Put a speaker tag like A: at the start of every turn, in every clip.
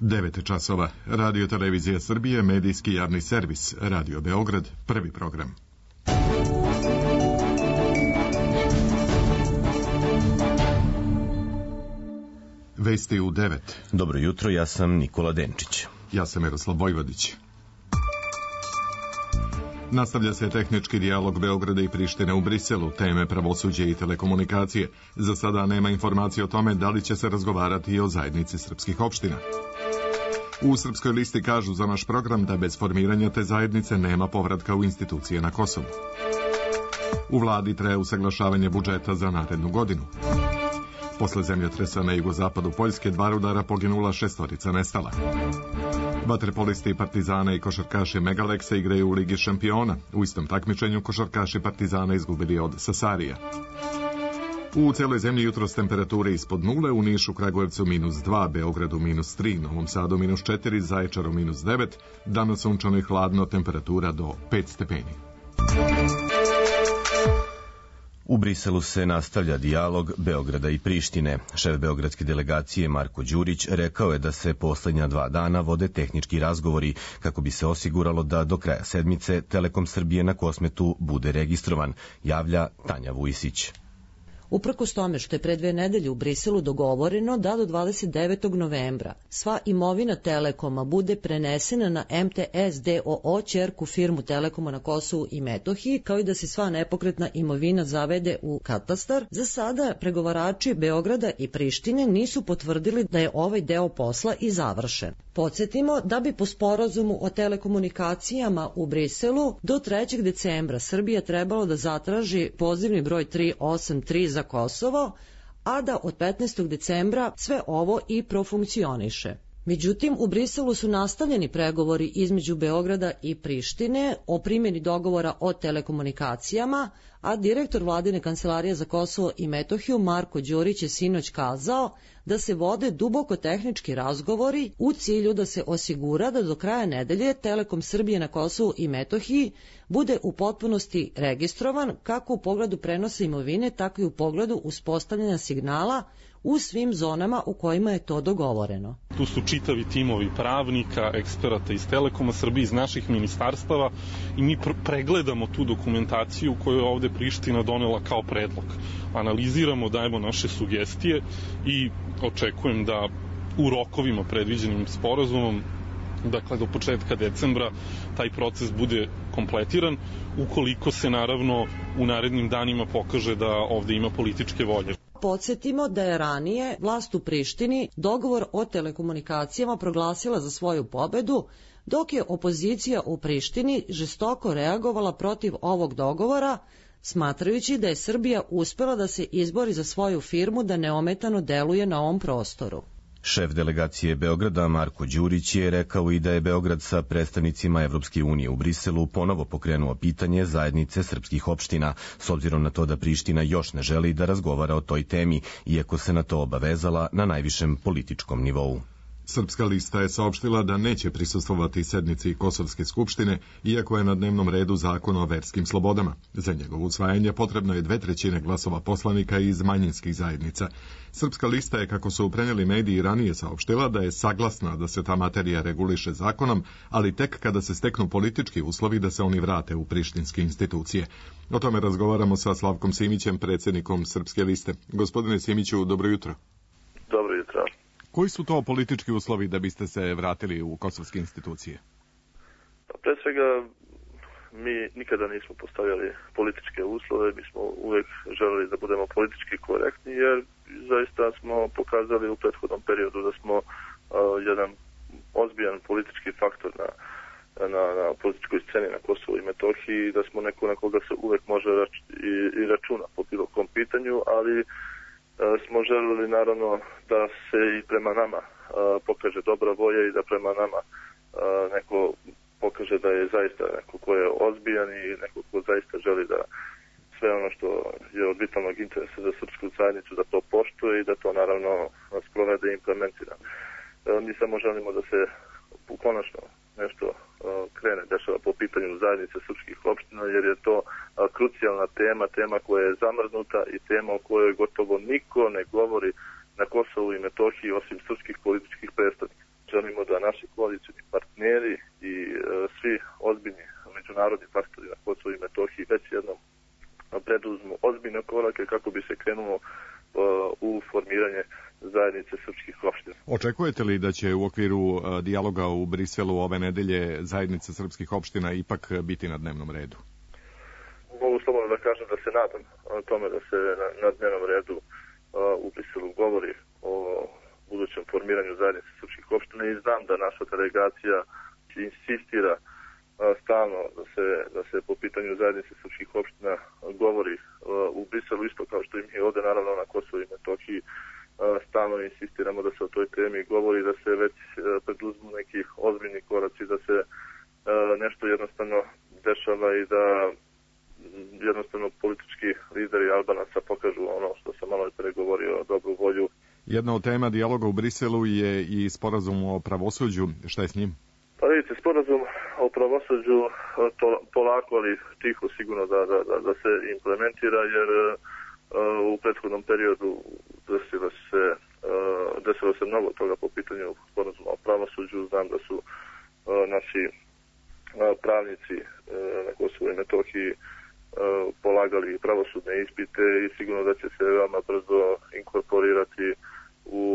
A: 9 časova. Radio Televizija Srbije, medijski javni servis. Radio Beograd, prvi program. Vesti u 9.
B: Dobro jutro, ja sam Nikola Denčić.
A: Ja sam Miroslav Vojvodić. Nastavlja se tehnički dijalog Beograda i Prištine u Briselu, teme pravosuđe i telekomunikacije. Za sada nema informacije o tome da li će se razgovarati i o zajednici srpskih opština. U Srpskoj listi kažu za naš program da bez formiranja te zajednice nema povratka u institucije na Kosovu. U vladi traje usaglašavanje budžeta za narednu godinu. Posle zemljotresa na jugozapadu Poljske 2 rudara poginula, 6 nestala. Vaterpolisti Partizana i košarkaši Megaleksa igraju u Ligi šampiona. U istom takmičenju košarkaši Partizana izgubili od Sasarija. U celoj zemlji jutros temperature ispod nule, u Nišu, Kragujevcu -2, Beogradu -3, Novom Sadu -4, Zaječaru -9, danas sunčano i hladno, temperatura do 5 stepeni.
B: U Briselu se nastavlja dijalog Beograda i Prištine. Šef beogradske delegacije Marko Đurić rekao je da se poslednja 2 dana vode tehnički razgovori kako bi se osiguralo da do kraja sedmice Telekom Srbije na Kosmetu bude registrovan, javlja Tanja Vujisić.
C: Uprkos tome što je pre 2 nedelje u Briselu dogovoreno da do 29. novembra sva imovina Telekoma bude prenesena na MTS DOO, ćerku firmu Telekoma na Kosovu i Metohiji, kao i da se sva nepokretna imovina zavede u katastar, za sada pregovarači Beograda i Prištine nisu potvrdili da je ovaj deo posla i završen. Podsjetimo da bi po sporazumu o telekomunikacijama u Briselu do 3. decembra Srbija trebalo da zatraži pozivni broj 383 za Kosovo, a da od 15. decembra sve ovo i profunkcioniše. Međutim, u Briselu su nastavljeni pregovori između Beograda i Prištine o primjeni dogovora o telekomunikacijama, a direktor Vladine kancelarije za Kosovo i Metohiju Marko Đurić je sinoć kazao da se vode duboko tehnički razgovori u cilju da se osigura da do kraja nedelje Telekom Srbije na Kosovu i Metohiji bude u potpunosti registrovan kako u pogledu prenosa imovine, tako i u pogledu uspostavljanja signala u svim zonama u kojima je to dogovoreno.
D: Tu su čitavi timovi pravnika, eksperata iz Telekoma Srbije, iz naših ministarstava i mi pregledamo tu dokumentaciju koju je ovde Priština donela kao predlog. Analiziramo, dajemo naše sugestije i očekujem da u rokovima predviđenim sporazumom, dakle do početka decembra, taj proces bude kompletiran, ukoliko se naravno u narednim danima pokaže da ovde ima političke volje.
C: Podsjetimo da je ranije vlast u Prištini dogovor o telekomunikacijama proglasila za svoju pobedu, dok je opozicija u Prištini žestoko reagovala protiv ovog dogovora, smatrajući da je Srbija uspela da se izbori za svoju firmu da neometano deluje na ovom prostoru.
B: Šef delegacije Beograda Marko Đurić je rekao i da je Beograd sa predstavnicima Evropske unije u Briselu ponovo pokrenuo pitanje zajednice srpskih opština, s obzirom na to da Priština još ne želi da razgovara o toj temi, iako se na to obavezala na najvišem političkom nivou.
A: Srpska lista je saopštila da neće prisustvovati sednici Kosovske skupštine, iako je na dnevnom redu zakon o verskim slobodama. Za njegovo usvajanje potrebno je 2/3 glasova poslanika iz manjinskih zajednica. Srpska lista je, kako su prenijeli mediji, ranije saopštila da je saglasna da se ta materija reguliše zakonom, ali tek kada se steknu politički uslovi da se oni vrate u prištinske institucije. O tome razgovaramo sa Slavkom Simićem, predsjednikom Srpske liste. Gospodine Simiću, dobro jutro.
E: Dobro jutro.
A: Koji su to politički uslovi da biste se vratili u kosovske institucije?
E: Pre svega, mi nikada nismo postavljali političke uslove, mi smo uvek želeli da budemo politički korektni, jer zaista smo pokazali u prethodnom periodu da smo jedan ozbiljan politički faktor na političkoj sceni na Kosovu i Metohiji, da smo neko na koga se uvek može i računa po bilo kom pitanju, ali smo želeli naravno da se i prema nama pokaže dobra volja i da prema nama neko pokaže da je zaista neko ko je ozbiljan i neko ko zaista želi da sve ono što je od vitalnog interesa za srpsku zajednicu da to poštuje i da to naravno sprovede i implementira. Mi samo želimo da se konačno nešto krene dešava po pitanju zajednice srpskih opština, jer je to krucijalna tema koja je zamrznuta i tema o kojoj gotovo niko ne govori na Kosovu i Metohiji osim srpskih političkih predstavnika. želimo da naši koalicijni partneri i svi ozbiljni međunarodni faktori na Kosovu i Metohiji već jednom preduzmu ozbiljne korake kako bi se krenulo u formiranje zajednice srpskih opština.
A: Očekujete li da će u okviru dijaloga u Briselu ove nedelje zajednice srpskih opština ipak biti na dnevnom redu?
E: Mogu slobodno da kažem da se nadam tome da se na dnevnom redu u Briselu govori o budućem formiranju zajednice srpskih opština i znam da naša delegacija insistira stalno da se po pitanju zajednice srpskih opština govori u Briselu, isto kao što i mi ovde naravno na Kosovu i Metohiji stalno insistiramo da se o toj temi govori, da se već preduzmu neki ozbiljni koraci, da se nešto jednostavno dešava i da jednostavno politički lideri Albanaca pokažu ono što sam malo pre govorio, dobru volju. Jedna od tema dijaloga u Briselu je i sporazum o pravosuđu. Šta je s njim? Pa vidite, sporazum o pravosuđu polako, ali tiho sigurno da se implementira, jer u prethodnom periodu desilo se mnogo toga po pitanju sporazuma o pravosuđu. Znam da su naši pravnici na Kosovu i Metohiji polagali pravosudne ispite i sigurno da će se veoma brzo inkorporirati u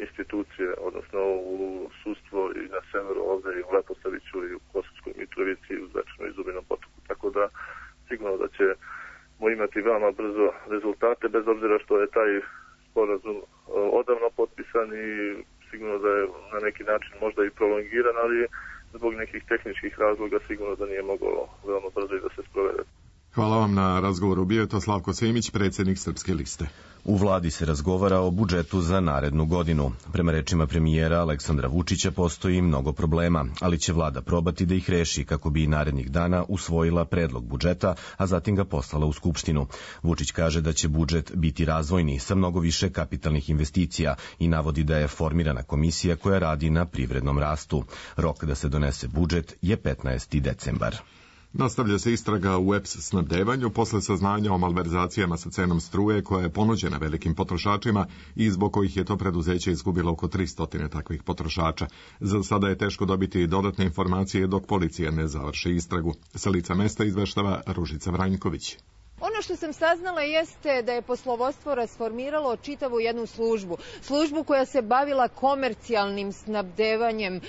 E: institucije, odnosno u sudstvo i na severu ovde i u Leposaviću i u Kosovskoj Mitrovici i u Zvečanu i Zubinom Potoku. Tako da sigurno da ćemo imati veoma brzo rezultate, bez obzira što je taj sporazum odavno potpisan i sigurno da je na neki način možda i prolongiran, ali zbog nekih tehničkih razloga sigurno da nije moglo veoma brzo i da se sprovede.
A: Hvala vam na razgovoru. Bio je to Slavko Simić, predsjednik Srpske liste.
B: U vladi se razgovara o budžetu za narednu godinu. Prema rečima premijera Aleksandra Vučića postoji mnogo problema, ali će vlada probati da ih reši kako bi narednih dana usvojila predlog budžeta, a zatim ga poslala u Skupštinu. Vučić kaže da će budžet biti razvojni sa mnogo više kapitalnih investicija i navodi da je formirana komisija koja radi na privrednom rastu. Rok da se donese budžet je 15. decembar.
A: Nastavlja se istraga u EPS snabdevanju posle saznanja o malverzacijama sa cenom struje koja je ponuđena velikim potrošačima i zbog kojih je to preduzeće izgubilo oko 300 takvih potrošača. Za sada je teško dobiti dodatne informacije dok policija ne završi istragu. Sa lica mesta izveštava Ružica Vranjković.
F: Ono što sam saznala jeste da je poslovodstvo rasformiralo čitavu jednu službu koja se bavila komercijalnim snabdevanjem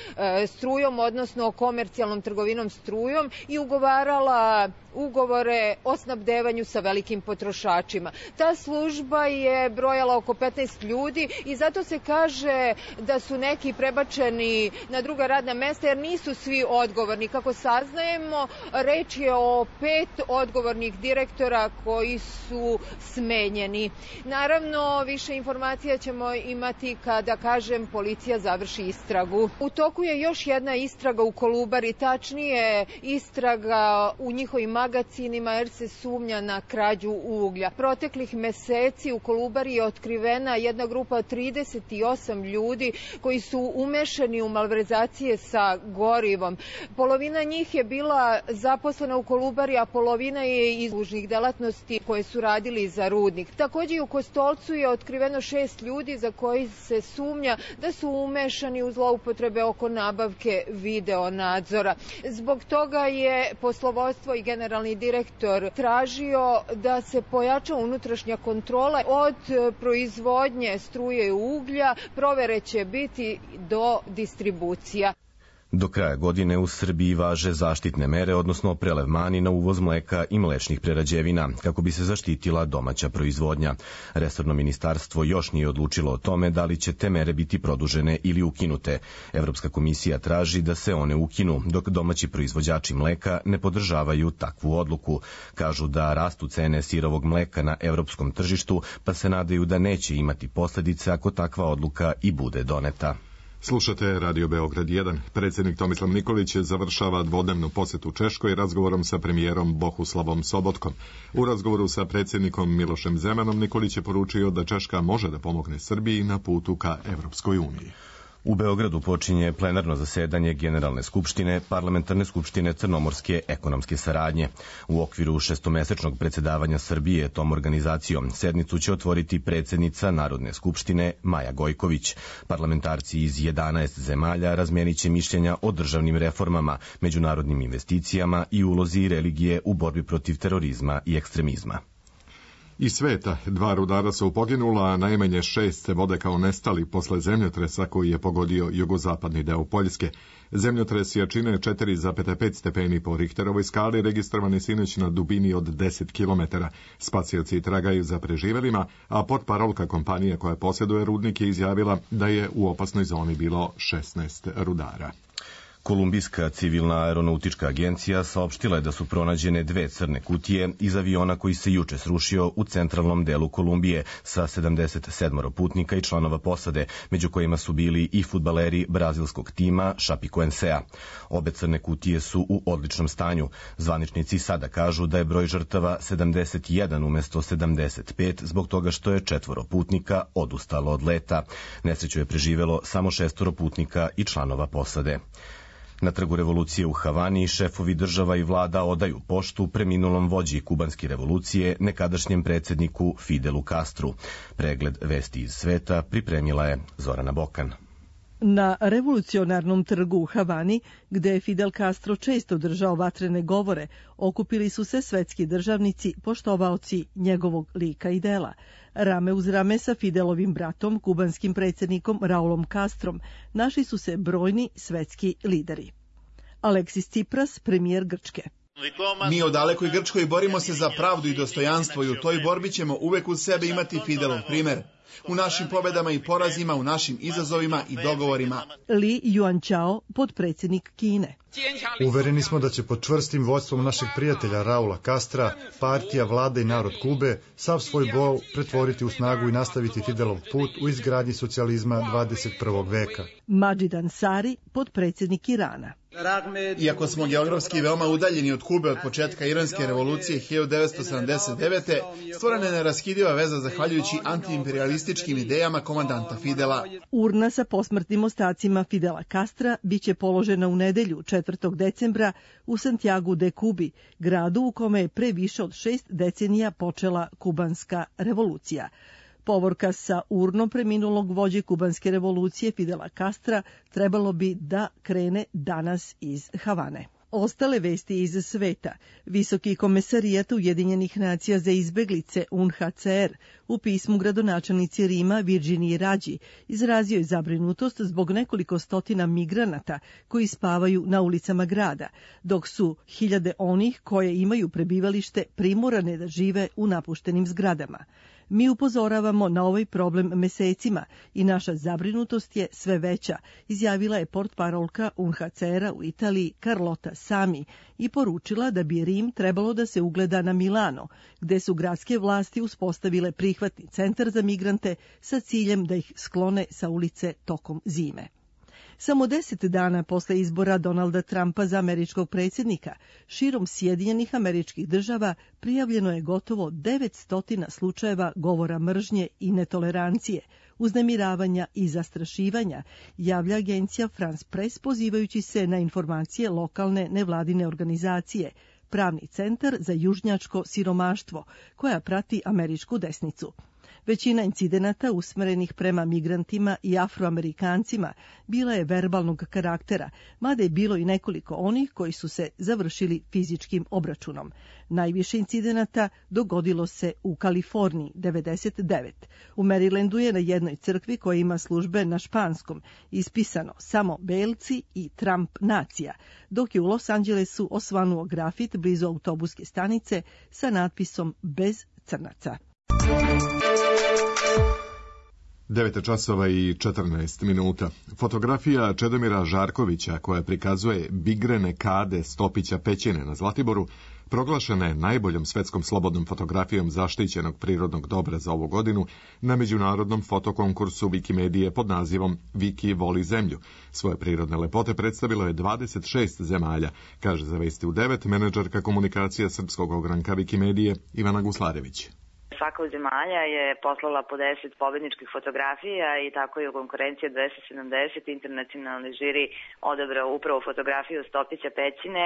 F: strujom, odnosno komercijalnom trgovinom strujom i ugovarala ugovore o snabdevanju sa velikim potrošačima. Ta služba je brojala oko 15 ljudi i zato se kaže da su neki prebačeni na druga radna mesta jer nisu svi odgovorni. Kako saznajemo, reč je o 5 odgovornih direktora koji su smenjeni. Naravno, više informacija ćemo imati kada, policija završi istragu. U toku je još jedna istraga u Kolubari, tačnije istraga u njihovim magacinima jer se sumnja na krađu uglja. Proteklih meseci u Kolubari je otkrivena jedna grupa od 38 ljudi koji su umešani u malverzacije sa gorivom. Polovina njih je bila zaposlena u Kolubari, a polovina je iz uslužnih delatnosti koje su radili za rudnik. Takođe i u Kostolcu je otkriveno 6 ljudi za koji se sumnja da su umešani u zloupotrebe oko nabavke video nadzora. Zbog toga je poslovodstvo i generalni direktor tražio da se pojača unutrašnja kontrola od proizvodnje struje i uglja, provere će biti do distribucija.
B: Do kraja godine u Srbiji važe zaštitne mere, odnosno prelevmani na uvoz mleka i mlečnih prerađevina, kako bi se zaštitila domaća proizvodnja. Resorno ministarstvo još nije odlučilo o tome da li će te mere biti produžene ili ukinute. Evropska komisija traži da se one ukinu, dok domaći proizvođači mleka ne podržavaju takvu odluku. Kažu da rastu cene sirovog mleka na evropskom tržištu, pa se nadaju da neće imati posledice ako takva odluka i bude doneta.
A: Slušate Radio Beograd 1. Predsjednik Tomislav Nikolić završava dvodnevnu posjetu Češkoj razgovorom sa premijerom Bohuslavom Sobotkom. U razgovoru sa predsjednikom Milošem Zemanom Nikolić je poručio da Češka može da pomogne Srbiji na putu ka Evropskoj uniji.
B: U Beogradu počinje plenarno zasedanje Generalne skupštine, Parlamentarne skupštine Crnomorske ekonomske saradnje. U okviru šestomesečnog predsedavanja Srbije tom organizacijom sednicu će otvoriti predsednica Narodne skupštine Maja Gojković. Parlamentarci iz 11 zemalja razmenit će mišljenja o državnim reformama, međunarodnim investicijama i ulozi religije u borbi protiv terorizma i ekstremizma.
A: Iz sveta 2 rudara su poginula, a najmanje 6 se vode kao nestali posle zemljotresa koji je pogodio jugozapadni deo Poljske. Zemljotres jačine 4,5 stepeni po Richterovoj skali registrovani sinoć na dubini od 10 km. Spasioci tragaju za preživelima, a portparolka kompanije koja posjeduje rudnik je izjavila da je u opasnoj zoni bilo 16 rudara.
B: Kolumbijska civilna aeronautička agencija saopštila je da su pronađene 2 crne kutije iz aviona koji se juče srušio u centralnom delu Kolumbije sa 77 putnika i članova posade, među kojima su bili i fudbaleri brazilskog tima Chapecoensea. Obe crne kutije su u odličnom stanju. Zvaničnici sada kažu da je broj žrtava 71 umesto 75 zbog toga što je 4 putnika odustalo od leta. Nesreću je preživelo samo 6 putnika i članova posade. Na Trgu revolucije u Havani šefovi država i vlada odaju poštu preminulom vođi kubanske revolucije, nekadašnjem predsjedniku Fidelu Castru. Pregled vesti iz sveta pripremila je Zorana Bokan.
G: Na revolucionarnom trgu u Havani, gde je Fidel Castro često držao vatrene govore, okupili su se svetski državnici, poštovaoci njegovog lika i dela. Rame uz rame sa Fidelovim bratom, kubanskim predsjednikom Raulom Castrom, našli su se brojni svetski lideri. Aleksis Tsipras, premijer Grčke.
H: Mi u dalekoj Grčkoj borimo se za pravdu i dostojanstvo i u toj borbi ćemo uvek uz sebe imati Fidelov primer. U našim pobedama i porazima, u našim izazovima i dogovorima.
G: Li Yuanchao, potpredsjednik Kine.
I: Uvereni smo da će pod čvrstim vođstvom našeg prijatelja Raula Castra, partija, vlada i narod Kube sav svoj bol pretvoriti u snagu i nastaviti Fidelov put u izgradnji socijalizma 21. veka.
G: Majid Ansari, potpredsjednik Irana.
H: Iako smo geografski veoma udaljeni od Kube od početka iranske revolucije 1979. stvorena je neraskidiva veza zahvaljujući antiimperialističkim idejama komandanta Fidela.
G: Urna sa posmrtnim ostacima Fidela Castra biće položena u nedelju 4. decembra u Santiagu de Cubi, gradu u kome je pre više od 6 decenija počela kubanska revolucija. Povorka sa urnom preminulog vođe kubanske revolucije Fidela Castra trebalo bi da krene danas iz Havane. Ostale vesti iz sveta. Visoki komesarijat Ujedinjenih nacija za izbeglice UNHCR u pismu gradonačelnici Rima Virginiji Rađi izrazio je zabrinutost zbog nekoliko stotina migranata koji spavaju na ulicama grada, dok su hiljade onih koje imaju prebivalište primorane da žive u napuštenim zgradama. Mi upozoravamo na ovaj problem mesecima i naša zabrinutost je sve veća, izjavila je portparolka UNHCR-a u Italiji Carlotta Sami i poručila da bi Rim trebalo da se ugleda na Milano, gde su gradske vlasti uspostavile prihvatni centar za migrante sa ciljem da ih sklone sa ulice tokom zime. Samo 10 dana posle izbora Donalda Trumpa za američkog predsjednika, širom Sjedinjenih Američkih Država prijavljeno je gotovo 900 slučajeva govora mržnje i netolerancije, uznemiravanja i zastrašivanja, javlja agencija France Press pozivajući se na informacije lokalne nevladine organizacije, Pravni centar za južnjačko siromaštvo, koja prati američku desnicu. Većina incidenata usmerenih prema migrantima i afroamerikancima bila je verbalnog karaktera, mada je bilo i nekoliko onih koji su se završili fizičkim obračunom. Najviše incidenata dogodilo se u Kaliforniji, 99. U Marylandu je na jednoj crkvi koja ima službe na španskom ispisano samo belci i Trump nacija, dok je u Los Angelesu osvanuo grafit blizu autobuske stanice sa natpisom bez crnaca.
A: 9:14. Fotografija Čedomira Žarkovića koja prikazuje bigrene kade Stopića pećine na Zlatiboru proglašena je najboljom svetskom slobodnom fotografijom zaštićenog prirodnog dobra za ovu godinu na međunarodnom fotokonkursu Wikimedije pod nazivom Wiki voli zemlju. Svoje prirodne lepote predstavilo je 26 zemalja, kaže za Vesti u 9 menadžerka komunikacija srpskog ogranka Wikimedije Ivana Guslarević.
J: Svaka od zemalja je poslala po 10 pobedničkih fotografija i tako je u konkurenciji 270 internacionalni žiri odabrao upravo fotografiju Stopića pećine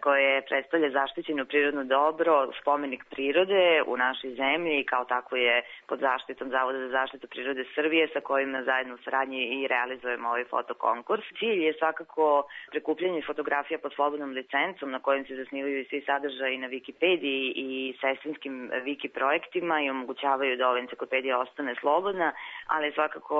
J: koje predstavlja zaštićeno prirodno dobro, spomenik prirode u našoj zemlji i kao tako je pod zaštitom Zavoda za zaštitu prirode Srbije sa kojim na zajedno u saradnji i realizujemo ovaj fotokonkurs. Cilj je svakako prikupljanje fotografija pod slobodnom licencom na kojim se zasnivaju i svi sadržaji na Wikipediji i sestrinskim Wiki projektima i omogućavaju da ova enciklopedija ostane slobodna, ali svakako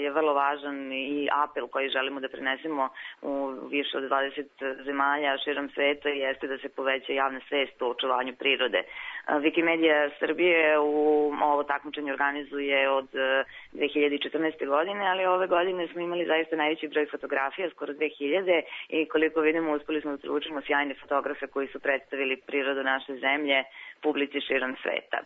J: je vrlo važan i apel koji želimo da prenesemo u više od 20 zemalja širom sveta jeste da se poveća javna svest o očuvanju prirode. Wikimedia Srbije u ovo takmičenje organizuje od 2014. godine, ali ove godine smo imali zaista najveći broj fotografija, skoro 2000, i koliko vidimo uspeli smo da privučemo sjajne fotografe koji su predstavili prirodu naše zemlje publici širom sveta.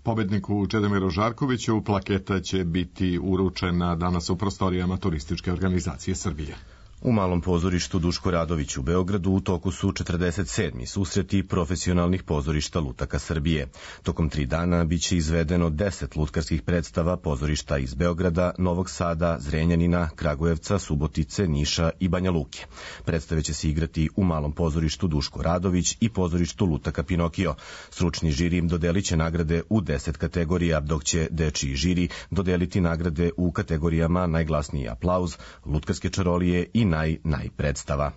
A: Pobedniku Čedomiru Žarkoviću plaketa će biti uručena danas u prostorijama Turističke organizacije Srbije.
B: U Malom pozorištu Duško Radović u Beogradu u toku su 47. susreti profesionalnih pozorišta lutaka Srbije. Tokom 3 dana biće izvedeno 10 lutkarskih predstava pozorišta iz Beograda, Novog Sada, Zrenjanina, Kragujevca, Subotice, Niša i Banja Luke. Predstave će se igrati u Malom pozorištu Duško Radović i pozorištu lutaka Pinokio. Stručni žiri dodelit će nagrade u 10 kategorija, dok će dečiji žiri dodeliti nagrade u kategorijama najglasniji aplauz, lutkarske čarolije i naj predstava.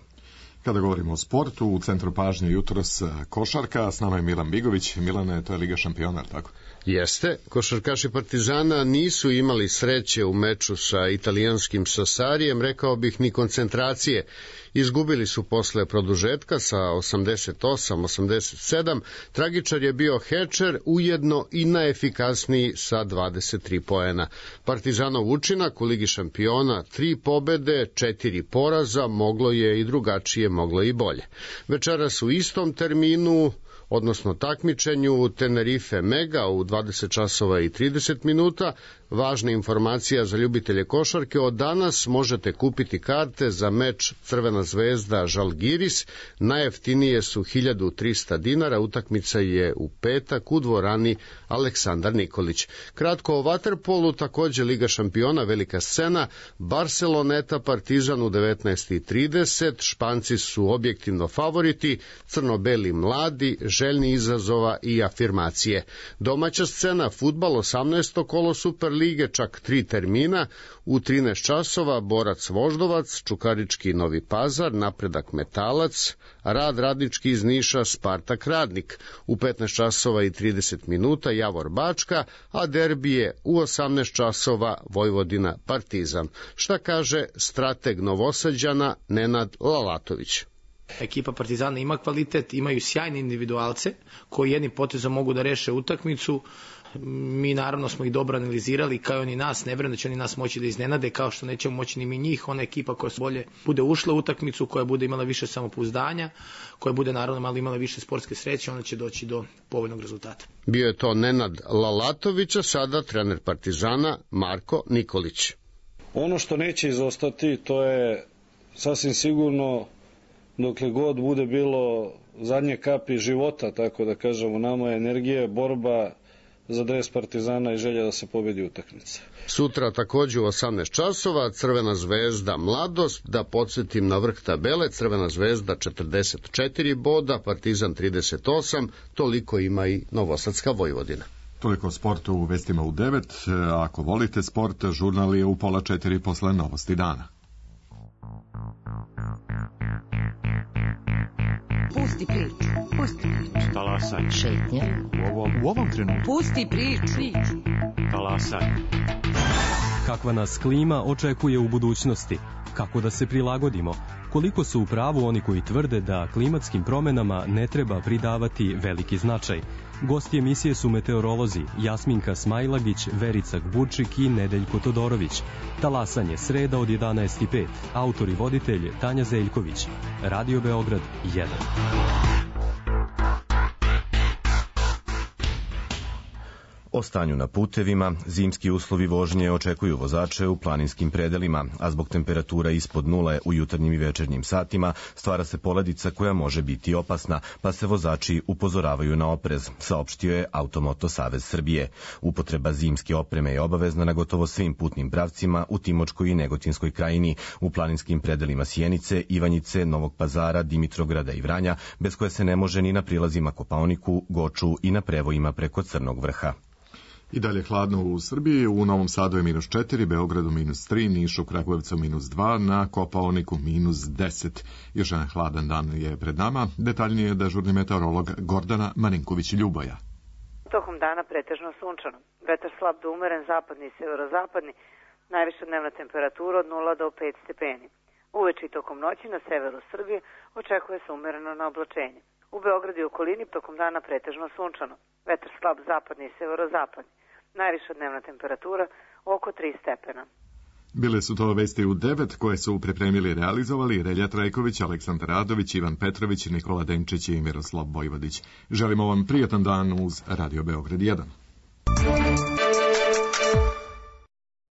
A: Kada govorimo o sportu, u centru pažnje jutros košarka, s nama je Milan Bigović. Milane, to je Liga šampiona, tako?
K: Jeste, košarkaši Partizana nisu imali sreće u meču sa italijanskim Sassarijem, rekao bih ni koncentracije. Izgubili su posle produžetka sa 88-87, tragičar je bio Hečer, ujedno i najefikasniji sa 23 poena. Partizanov učinak u Ligi šampiona, 3 pobede, 4 poraza, moglo je i drugačije, moglo i bolje. Večeras u istom terminu, odnosno takmičenju, Tenerife Mega u 20 časova i 30 minuta. Važna informacija za ljubitelje košarke: od danas možete kupiti karte za meč Crvena zvezda Žalgiris. Najjeftinije su 1300 dinara, utakmica je u petak u dvorani Aleksandar Nikolić. Kratko o vaterpolu, takođe Liga šampiona, velika scena, Barceloneta Partizan u 19:30, Španci su objektivno favoriti, crno-beli mladi, željni izazova i afirmacije. Domaća scena, fudbal, 18. kolo Super lige, čak 3 termina, u 13 časova Borac Voždovac, Čukarički Novi Pazar, Napredak Metalac, Rad Radnički iz Niša, Spartak Radnik, u 15 časova i 30 minuta Javor Bačka, a derbije u 18 časova Vojvodina Partizan. Šta kaže strateg Novosađana Nenad Lalatović?
L: Ekipa Partizana ima kvalitet, imaju sjajne individualce koji jednim potezom mogu da reše utakmicu. Mi naravno smo ih dobro analizirali, kao i oni nas, ne vjerujem da će oni nas moći da iznenade, kao što nećemo moći ni mi njih. Ona ekipa koja bolje bude ušla u utakmicu, koja bude imala više samopouzdanja, koja bude naravno malo imala više sportske sreće, ona će doći do povoljnog rezultata.
K: Bio je to Nenad Lalatović, a sada trener Partizana Marko Nikolić.
M: Ono što neće izostati, to je sasvim sigurno, dokle god bude bilo zadnje kapi života, tako da kažemo, nama je energija, borba za dres Partizana i želja da se pobedi utakmica.
K: Sutra takođe u 18 časova Crvena zvezda Mladost, da podsjetim na vrh tabele, Crvena zvezda 44 boda, Partizan 38, toliko ima i Novosadska Vojvodina.
A: Toliko o sportu u vestima u 9. Ako volite sport, žurnal je u 3:30 posle novosti dana.
N: Pusti priču. Pusti priču.
O: Talasaj.
N: Šetnja.
O: U ovom trenutku.
N: Pusti priču.
O: Talasaj.
P: Kakva nas klima očekuje u budućnosti? Kako da se prilagodimo? Koliko su u pravu oni koji tvrde da klimatskim promenama ne treba pridavati veliki značaj? Gosti emisije su meteorolozi Jasminka Smajlagić, Verica Gbučik i Nedeljko Todorović. Talasanje, sreda od 11:05. Autor i voditelj Tanja Zeljković. Radio Beograd 1.
B: O stanju na putevima, zimski uslovi vožnje očekuju vozače u planinskim predelima, a zbog temperatura ispod nule u jutarnjim i večernjim satima stvara se poledica koja može biti opasna, pa se vozači upozoravaju na oprez, saopštio je Automoto Savez Srbije. Upotreba zimske opreme je obavezna na gotovo svim putnim pravcima u Timočkoj i Negotinskoj krajini, u planinskim predelima Sjenice, Ivanjice, Novog Pazara, Dimitrograda i Vranja, bez koje se ne može ni na prilazima Kopaoniku, Goču i na prevojima preko Crnog vrha.
A: I dalje hladno u Srbiji, u Novom Sadu je -4, Beogradu -3, Nišu, Kragujevcu -2, na Kopaoniku -10. Još jedan hladan dan je pred nama, detaljnije dežurni meteorolog Gordana Marinković-Ljuboja.
Q: Tokom dana pretežno sunčano, vetar slab do umeren zapadni i severozapadni, najviša dnevna temperatura od 0 do 5 stepeni. Uveče i tokom noći na severu Srbije očekuje se umereno na oblačenje. U Beogradu i okolini tokom dana pretežno sunčano, vetar slab zapadni i severozapadni, najviša dnevna temperatura oko 3 stepena.
A: Bile su to vesti u 9 koje su pripremili i realizovali Relja Trajković, Aleksandar Radović, Ivan Petrović, Nikola Denčić i Miroslav Vojvodić. Želimo vam prijatan dan uz Radio Beograd 1.